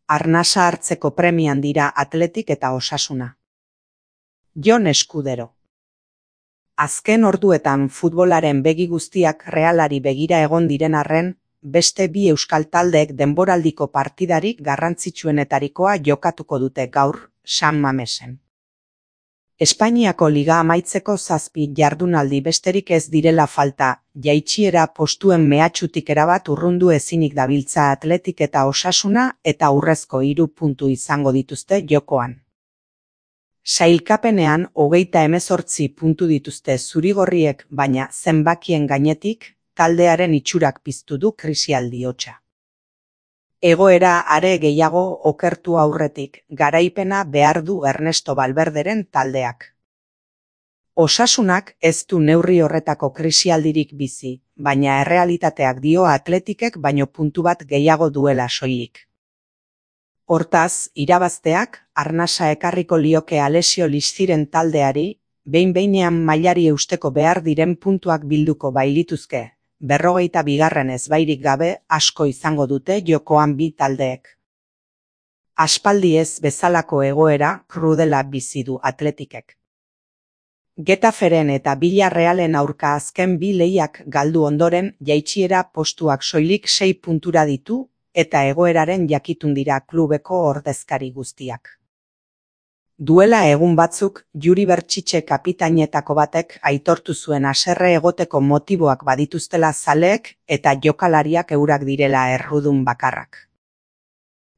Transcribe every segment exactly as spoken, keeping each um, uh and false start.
arnasa hartzeko premian dira Athletic eta Osasuna. Jon Eskudero. Azken orduetan futbolaren begi guztiak Realari begira egon diren arren, beste bi euskal taldeek denboraldiko partidarik garrantzitsuenetarikoa jokatuko dute gaur, San Mamesen. Espainiako liga amaitzeko zazpi jardunaldi besterik ez direla falta, jaitsiera postuen mehatxutik erabat urrundu ezinik dabiltza Athletic eta Osasuna eta urrezko hiru puntu izango dituzte jokoan. Sailkapenean hogeita hemezortzi puntu dituzte zurigorriek, baina zenbakien gainetik, taldearen itxurak piztu du krisialdi hotsa. Egoera are gehiago okertu aurretik, garaipena behar du Ernesto Valverderen taldeak. Osasunak ez du neurri horretako krisialdirik bizi, baina errealitateak dio Athleticek baino puntu bat gehiago duela soilik. Hortaz, irabazteak, arnasa ekarriko lioke Alessio Listiren taldeari, behin-behinean mailari eusteko behar diren puntuak bilduko bailituzke, berrogeita bigarren ezbairik gabe asko izango dute jokoan bi taldeek. Aspaldi ez bezalako egoera krudela bizi du Athleticek. Getaferen eta Villarrealen aurka azken bi lehiak galdu ondoren jaitsiera postuak soilik sei puntura ditu, eta egoeraren jakitun dira klubeko ordezkari guztiak. Duela egun batzuk, Juri Bertxitxe kapitainetako batek aitortu zuen haserre egoteko motiboak badituztela zaleek eta jokalariak eurak direla errudun bakarrak.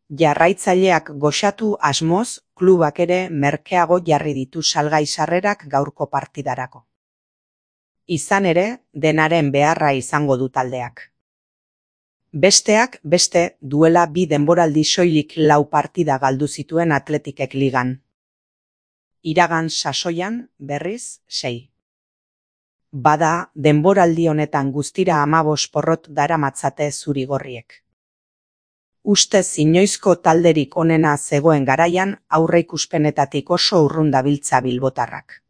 Jarraitzaileak goxatu asmoz, klubak ere merkeago jarri ditu salgai sarrerak gaurko partidarako. Izan ere, denaren beharra izango du taldeak. Besteak, beste, duela bi denboraldi soilik lau partida galdu zituen Athleticek ligan. Iragan sasoian, berriz, sei. Bada, denboraldi honetan guztira hamabost porrot daramatzate zurigorriek. Ustez inoizko talderik onena zegoen garaian aurreikuspenetatik oso urrun dabiltza bilbotarrak.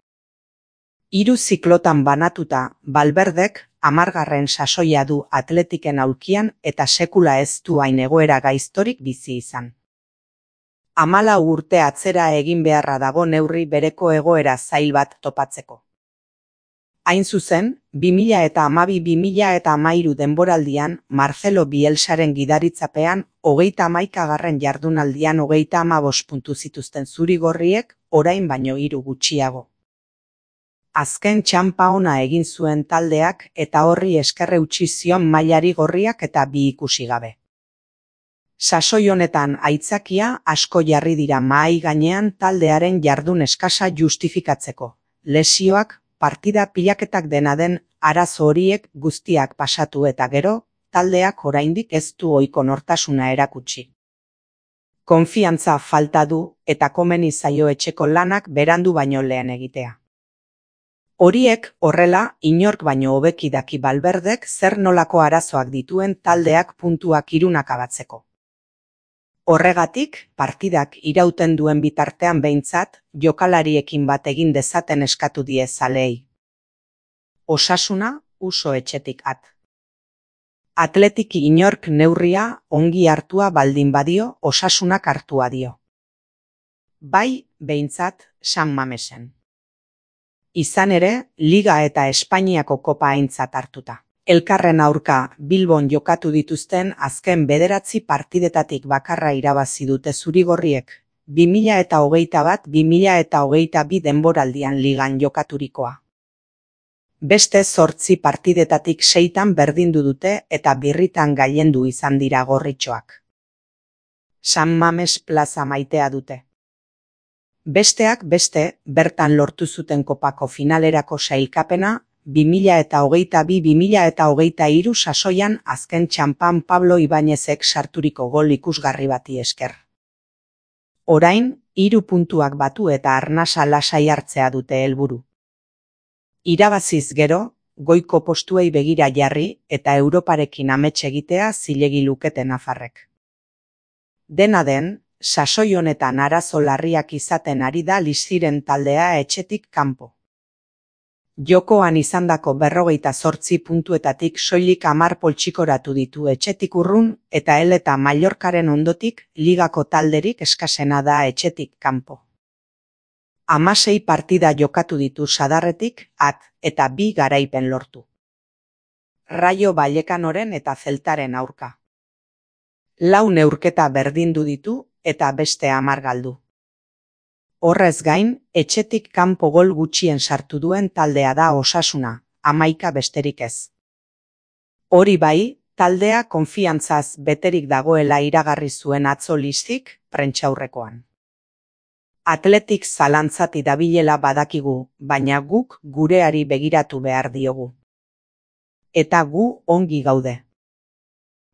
Hiru ziklotan banatuta, Valverdek hamargarren sasoia du Athleticen aulkian eta sekula ez du hain egoera gaiztorik bizi izan. Hamalau urte atzera egin beharra dago neurri bereko egoera zail bat topatzeko. Hain zuzen, bi mila hamabi bi mila hamairu denboraldian Marcelo Bielsaren gidaritzapean hogeita hamaikagarren jardunaldian hogeita hamabost puntu zituzten zurigorriek, orain baino hiru gutxiago. Azken txanpa ona egin zuen taldeak eta horri esker eutsi zion mailari gorriak eta bi ikusi gabe. Sasoi honetan aitzakia asko jarri dira mahai gainean taldearen jardun eskasa justifikatzeko. Lesioak, partida pilaketak dena den, arazo horiek guztiak pasatu eta gero, taldeak oraindik ez du ohiko nortasuna erakutsi. Konfiantza falta du eta komeni zaio etxeko lanak berandu baino lehen egitea. Horiek, horrela, inork baino hobeki daki Valverdek zer nolako arazoak dituen taldeak puntuak irunak abatzeko. Horregatik, partidak irauten duen bitartean behintzat, jokalariekin bat egin dezaten eskatu die zaleei. Osasuna, uso etxetik at. Athletic inork neurria ongi hartua baldin badio, Osasunak hartua dio. Bai, behintzat, San Mamesen. Izan ere, Liga eta Espainiako kopa aintzat hartuta. Elkarren aurka Bilbon jokatu dituzten azken bederatzi partidetatik bakarra irabazi dute zurigorriek, bi mila hogeita bat bi mila hogeita bi denboraldian ligan jokaturikoa. Beste zortzi partidetatik seitan berdindu dute eta birritan gailendu izan dira gorritxoak. San Mames plaza maitea dute. Besteak beste, bertan lortu zuten kopako finalerako sailkapena, bi mila hogeita bi bi mila hogeita hiru sasoian azken txanpan Pablo Ibañezek sarturiko gol ikusgarri bati esker. Orain, hiru puntuak batu eta arnasa lasai hartzea dute helburu. Irabaziz gero, goiko postuei begira jarri eta Europarekin amets egitea zilegi lukete nafarrek. Dena den, sasoi honetan arazo larriak izaten ari da Listiren taldea etxetik kanpo. Jokoan izandako berrogeita zortzi puntuetatik soilik hamar poltsikoratu ditu etxetik urrun eta El eta Mallorcaren ondotik ligako talderik eskasena da etxetik kanpo. Hamasei partida jokatu ditu sadarretik at eta bi garaipen lortu. Rayo Vallecanoren eta Celtaren aurka. Lau neurketa berdindu ditu eta beste hamar galdu. Horrez gain, etxetik kanpo gol gutxien sartu duen taldea da Osasuna, hamaika besterik ez. Hori bai, taldea konfiantzaz beterik dagoela iragarri zuen atzo Listik prentsaurrekoan. Atletik zalantzati dabilela badakigu, baina guk gureari begiratu behar diogu. Eta gu ongi gaude.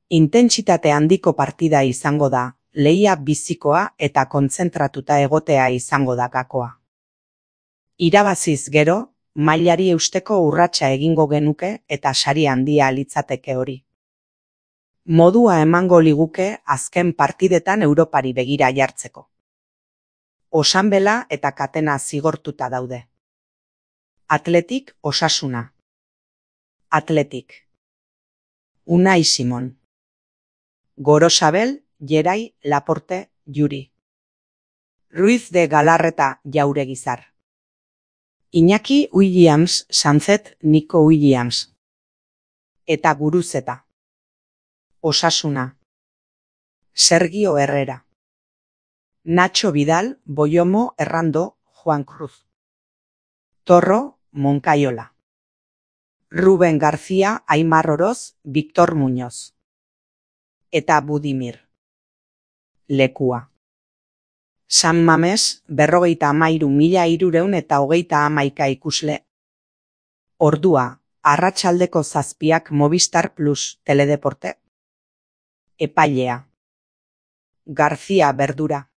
Intentsitate handiko partida izango da, lehia bizikoa eta kontzentratuta egotea izango da gakoa. Irabaziz gero, mailari eusteko urratsa egingo genuke eta sari handia litzateke hori. Modua emango liguke azken partidetan Europari begira jartzeko. Osanbela eta Katena zigortuta daude. Atletik Osasuna. Atletik. Unai Simon. Gorosabel, Gerai, Laporte, Juri. Ruiz de Galarreta, Jauregizar. Iñaki Williams, Sanzet, Nico Williams. Eta Guruzeta. Osasuna. Sergio Herrera. Nacho Vidal, Boyomo, Errando, Juan Cruz. Torro, Moncayola. Rubén García, Aimar Oroz, Víctor Muñoz. Eta Budimir. Lekua. San Mames, berrogeita hamairu mila hirureun eta hogeita hamaika ikusle. Ordua, arratsaldeko zazpiak Movistar Plus, Teledeporte. Epailea. García Verdura.